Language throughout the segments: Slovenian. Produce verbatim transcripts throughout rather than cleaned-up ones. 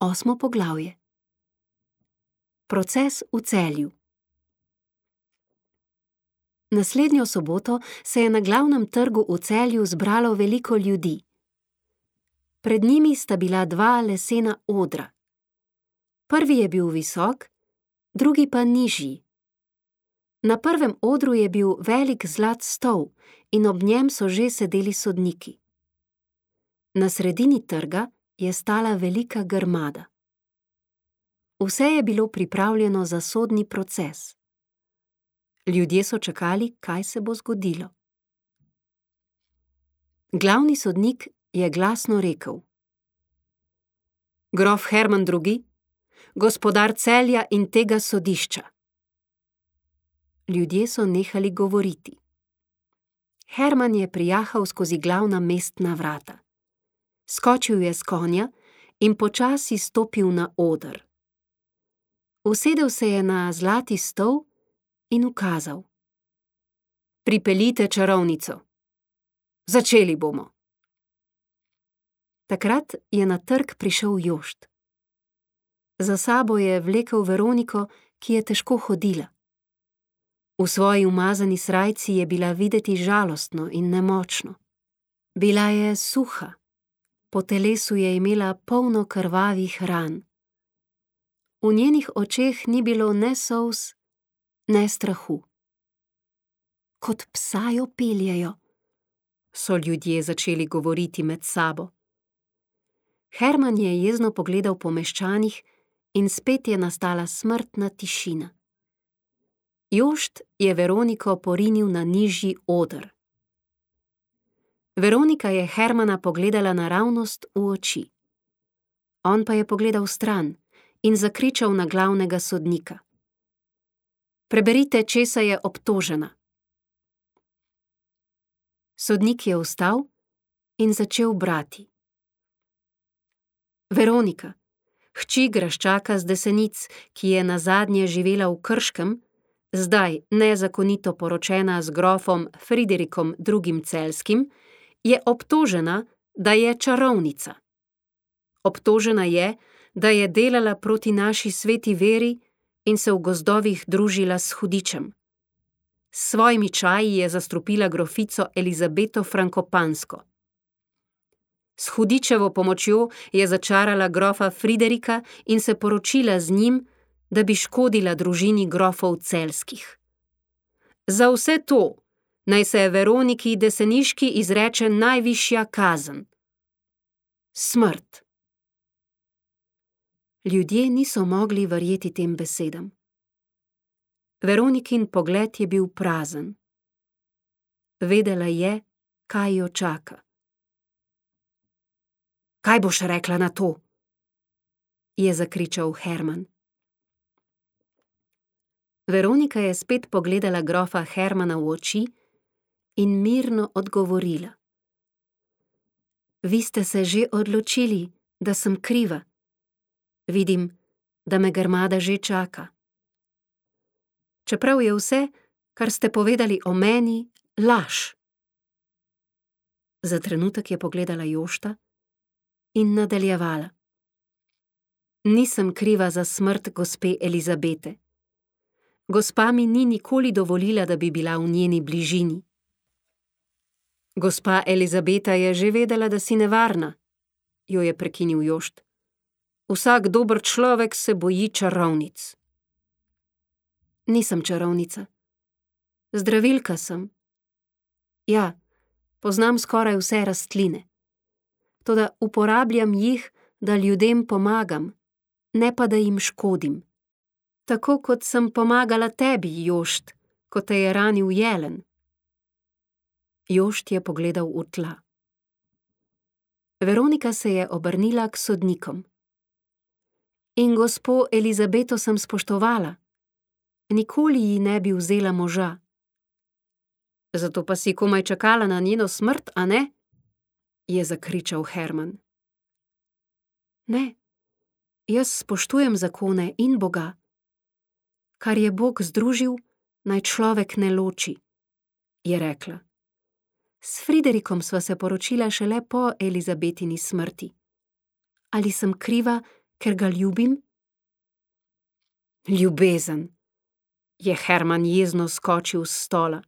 Osmo poglavje. Proces v Celju. Naslednjo soboto se je na glavnem trgu v Celju zbralo veliko ljudi. Pred njimi sta bila dva lesena odra. Prvi je bil visok, drugi pa nižji. Na prvem odru je bil velik zlat stol in ob njem so že sedeli sodniki. Na sredini trga je stala velika grmada. Vse je bilo pripravljeno za sodni proces. Ljudje so čakali, kaj se bo zgodilo. Glavni sodnik je glasno rekel: Grof Herman drugi, gospodar Celja in tega sodišča. Ljudje so nehali govoriti. Herman je prijahal skozi glavna mestna vrata. Skočil je s konja in počasi stopil na oder. Usedel se je na zlati stol in ukazal: Pripeljite čarovnico. Začeli bomo. Takrat je na trg prišel Jošt. Za sabo je vlekel Veroniko, ki je težko hodila. V svoji umazani srajci je bila videti žalostno in nemočno. Bila je suha, po telesu je imela polno krvavih ran. V njenih očeh ni bilo ne solz, ne strahu. Kot psa jo peljejo, so ljudje začeli govoriti med sabo. Herman je jezno pogledal po meščanih in spet je nastala smrtna tišina. Jošt je Veroniko porinil na nižji oder. Veronika je Hermana pogledala naravnost v oči. On pa je pogledal stran in zakričal na glavnega sodnika: Preberite, česa je obtožena. Sodnik je vstal in začel brati. Veronika, hči graščaka z Desenic, ki je nazadnje živela v Krškem, zdaj nezakonito poročena z grofom Friderikom drugim Celjskim, je obtožena, da je čarovnica. Obtožena je, da je delala proti naši sveti veri in se v gozdovih družila s hudičem. S svojimi čaji je zastrupila grofico Elizabeto Frankopansko. S hudičevo pomočjo je začarala grofa Friderika in se poročila z njim, da bi škodila družini grofov Celjskih. Za vse to naj se Veroniki Deseniški izreče najvišja kazen. Smrt. Ljudje niso mogli verjeti tem besedam. Veronikin pogled je bil prazen. Vedela je, kaj jo čaka. Kaj boš rekla na to? Je zakričal Herman. Veronika je spet pogledala grofa Hermana v oči in mirno odgovorila: Vi ste se že odločili, da sem kriva. Vidim, da me grmada že čaka. Čeprav je vse, kar ste povedali o meni, laž. Za trenutek je pogledala Jošta in nadaljevala: Nisem kriva za smrt gospe Elizabete. Gospa mi ni nikoli dovolila, da bi bila v njeni bližini. Gospa Elizabeta je že vedela, da si nevarna, jo je prekinil Jošt. Vsak dober človek se boji čarovnic. Nisem čarovnica. Zdravilka sem. Ja, poznam skoraj vse rastline. Toda uporabljam jih, da ljudem pomagam, ne pa da jim škodim. Tako kot sem pomagala tebi, Jošt, ko te je ranil jelen. Jošt je pogledal v tla. Veronika se je obrnila k sodnikom. In gospo Elizabeto sem spoštovala. Nikoli ji ne bi vzela moža. Zato pa si komaj čakala na njeno smrt, a ne? Je zakričal Herman. Ne, jaz spoštujem zakone in Boga. Kar je Bog združil, naj človek ne loči, je rekla. S Friderikom sva se poročila šele po Elizabetini smrti. Ali sem kriva, Ker ga ljubim? Ljubezen, je Herman jezno skočil s stola.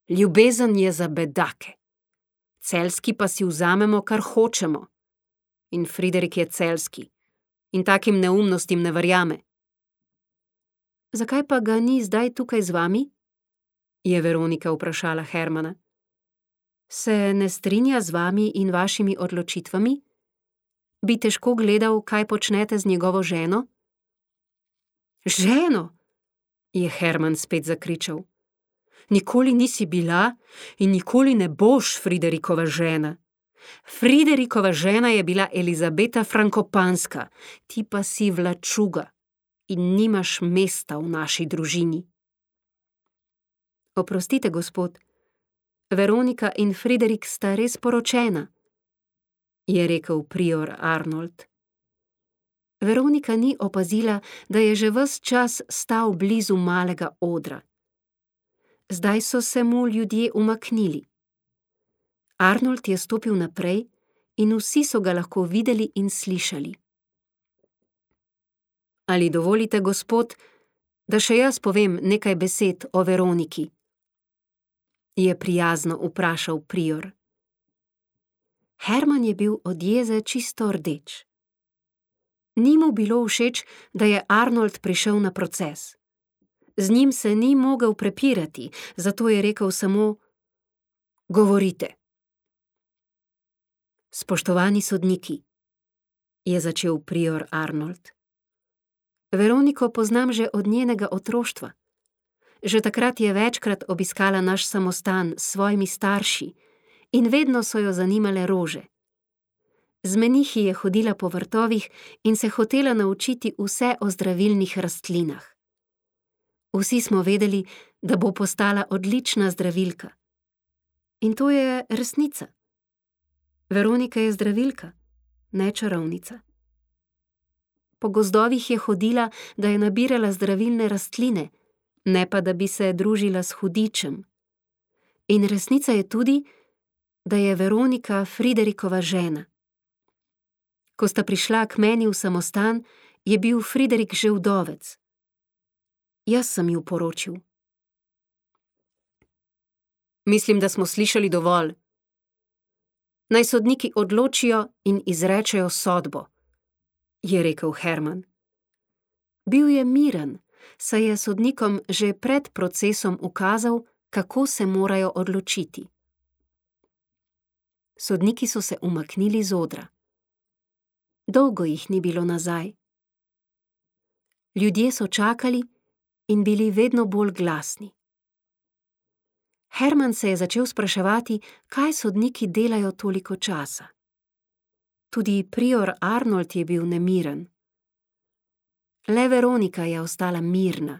Ljubezen je za bedake. Celjski pa si vzamemo, kar hočemo. In Friderik je celjski. In takim neumnostim ne verjame. Zakaj pa ga ni zdaj tukaj z vami? Je Veronika vprašala Hermana. Se ne strinja z vami in vašimi odločitvami? Bi težko gledal, kaj počnete z njegovo ženo? Ženo? Je Herman spet zakričal. Nikoli nisi bila in nikoli ne boš Friderikova žena. Friderikova žena je bila Elizabeta Frankopanska, ti pa si vlačuga in nimaš mesta v naši družini. Oprostite, gospod, Veronika in Friderik sta res poročena, je rekel prior Arnold. Veronika ni opazila, da je že ves čas stal blizu malega odra. Zdaj so se mu ljudje umaknili. Arnold je stopil naprej in vsi so ga lahko videli in slišali. Ali dovolite, gospod, da še jaz povem nekaj besed o Veroniki? Je prijazno vprašal prior. Herman je bil od jeze čisto rdeč. Ni mu bilo všeč, da je Arnold prišel na proces. Z njim se ni mogel prepirati, zato je rekel samo: Govorite. Spoštovani sodniki, je začel prior Arnold. Veroniko poznam že od njenega otroštva. Že takrat je večkrat obiskala naš samostan s svojimi starši in vedno so jo zanimale rože. Z menihi je hodila po vrtovih in se hotela naučiti vse o zdravilnih rastlinah. Vsi smo vedeli, da bo postala odlična zdravilka. In to je resnica. Veronika je zdravilka, ne čarovnica. Po gozdovih je hodila, da je nabirala zdravilne rastline, ne pa da bi se družila s hudičem. In resnica je tudi, da je Veronika Friderikova žena. Ko sta prišla k meni v samostan, je bil Friderik že vdovec. Jaz sem ju poročil. Mislim, da smo slišali dovolj. Naj sodniki odločijo in izrečejo sodbo, je rekel Herman. Bil je miren, saj je sodnikom že pred procesom ukazal, kako se morajo odločiti. Sodniki so se umaknili z odra. Dolgo jih ni bilo nazaj. Ljudje so čakali in bili vedno bolj glasni. Herman se je začel spraševati, kaj sodniki delajo toliko časa. Tudi prior Arnold je bil nemiren. Le Veronika je ostala mirna,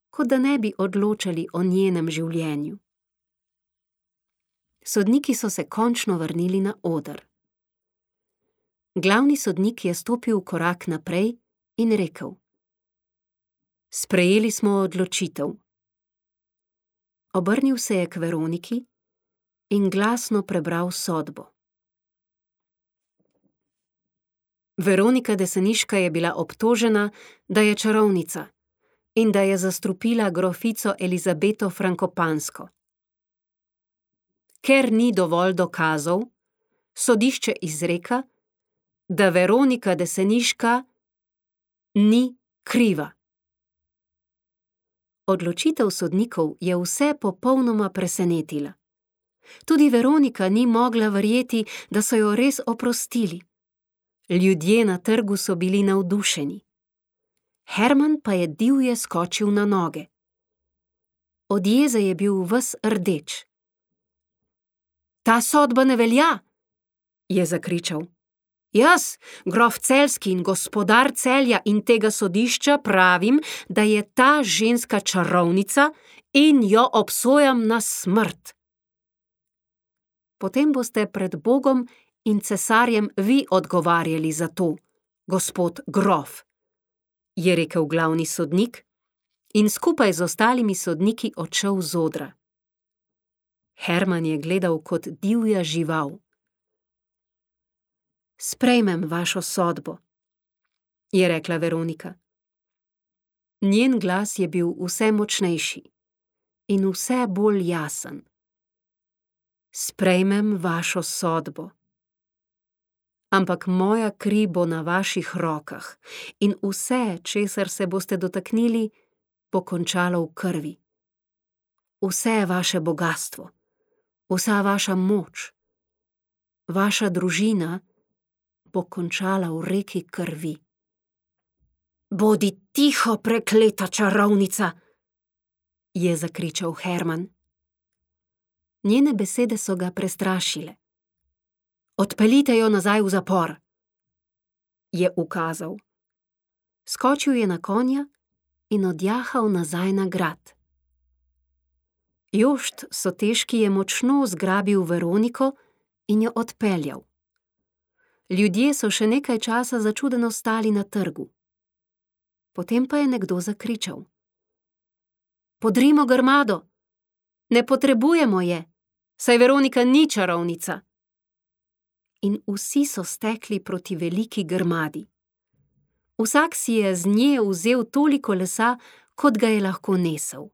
kot da ne bi odločali o njenem življenju. Sodniki so se končno vrnili na oder. Glavni sodnik je stopil korak naprej in rekel: Sprejeli smo odločitev. Obrnil se je k Veroniki in glasno prebral sodbo. Veronika Deseniška je bila obtožena, da je čarovnica in da je zastrupila grofico Elizabeto Frankopansko. Ker ni dovolj dokazov, sodišče izreka, da Veronika Deseniška ni kriva. Odločitev sodnikov je vse popolnoma presenetila. Tudi Veronika ni mogla verjeti, da so jo res oprostili. Ljudje na trgu so bili navdušeni. Herman pa je divje skočil na noge. Od jeze je bil ves rdeč. Ta sodba ne velja, je zakričal. Jaz, grof Celjski in gospodar Celja in tega sodišča pravim, da je ta ženska čarovnica in jo obsojam na smrt. Potem boste pred Bogom in cesarjem vi odgovarjali za to, gospod grof, je rekel glavni sodnik in skupaj z ostalimi sodniki odšel z odra. Herman je gledal kot divja žival. Sprejmem vašo sodbo, je rekla Veronika. Njen glas je bil vse močnejši in vse bolj jasen. Sprejmem vašo sodbo. Ampak moja kri bo na vaših rokah in vse, česar se boste dotaknili, bo končalo v krvi. Vse vaše bogastvo, vsa vaša moč, vaša družina bo končala v reki krvi. Bodi tiho, prekleta čarovnica, je zakričal Herman. Njene besede so ga prestrašile. Odpeljite jo nazaj v zapor, je ukazal. Skočil je na konja in odjahal nazaj na grad. Jošt Soteški je močno zgrabil Veroniko in jo odpeljal. Ljudje so še nekaj časa začudeno stali na trgu. Potem pa je nekdo zakričal. Podrimo grmado! Ne potrebujemo je, saj Veronika ni čarovnica! In vsi so stekli proti veliki grmadi. Vsak si je z nje vzel toliko lesa, kot ga je lahko nesel.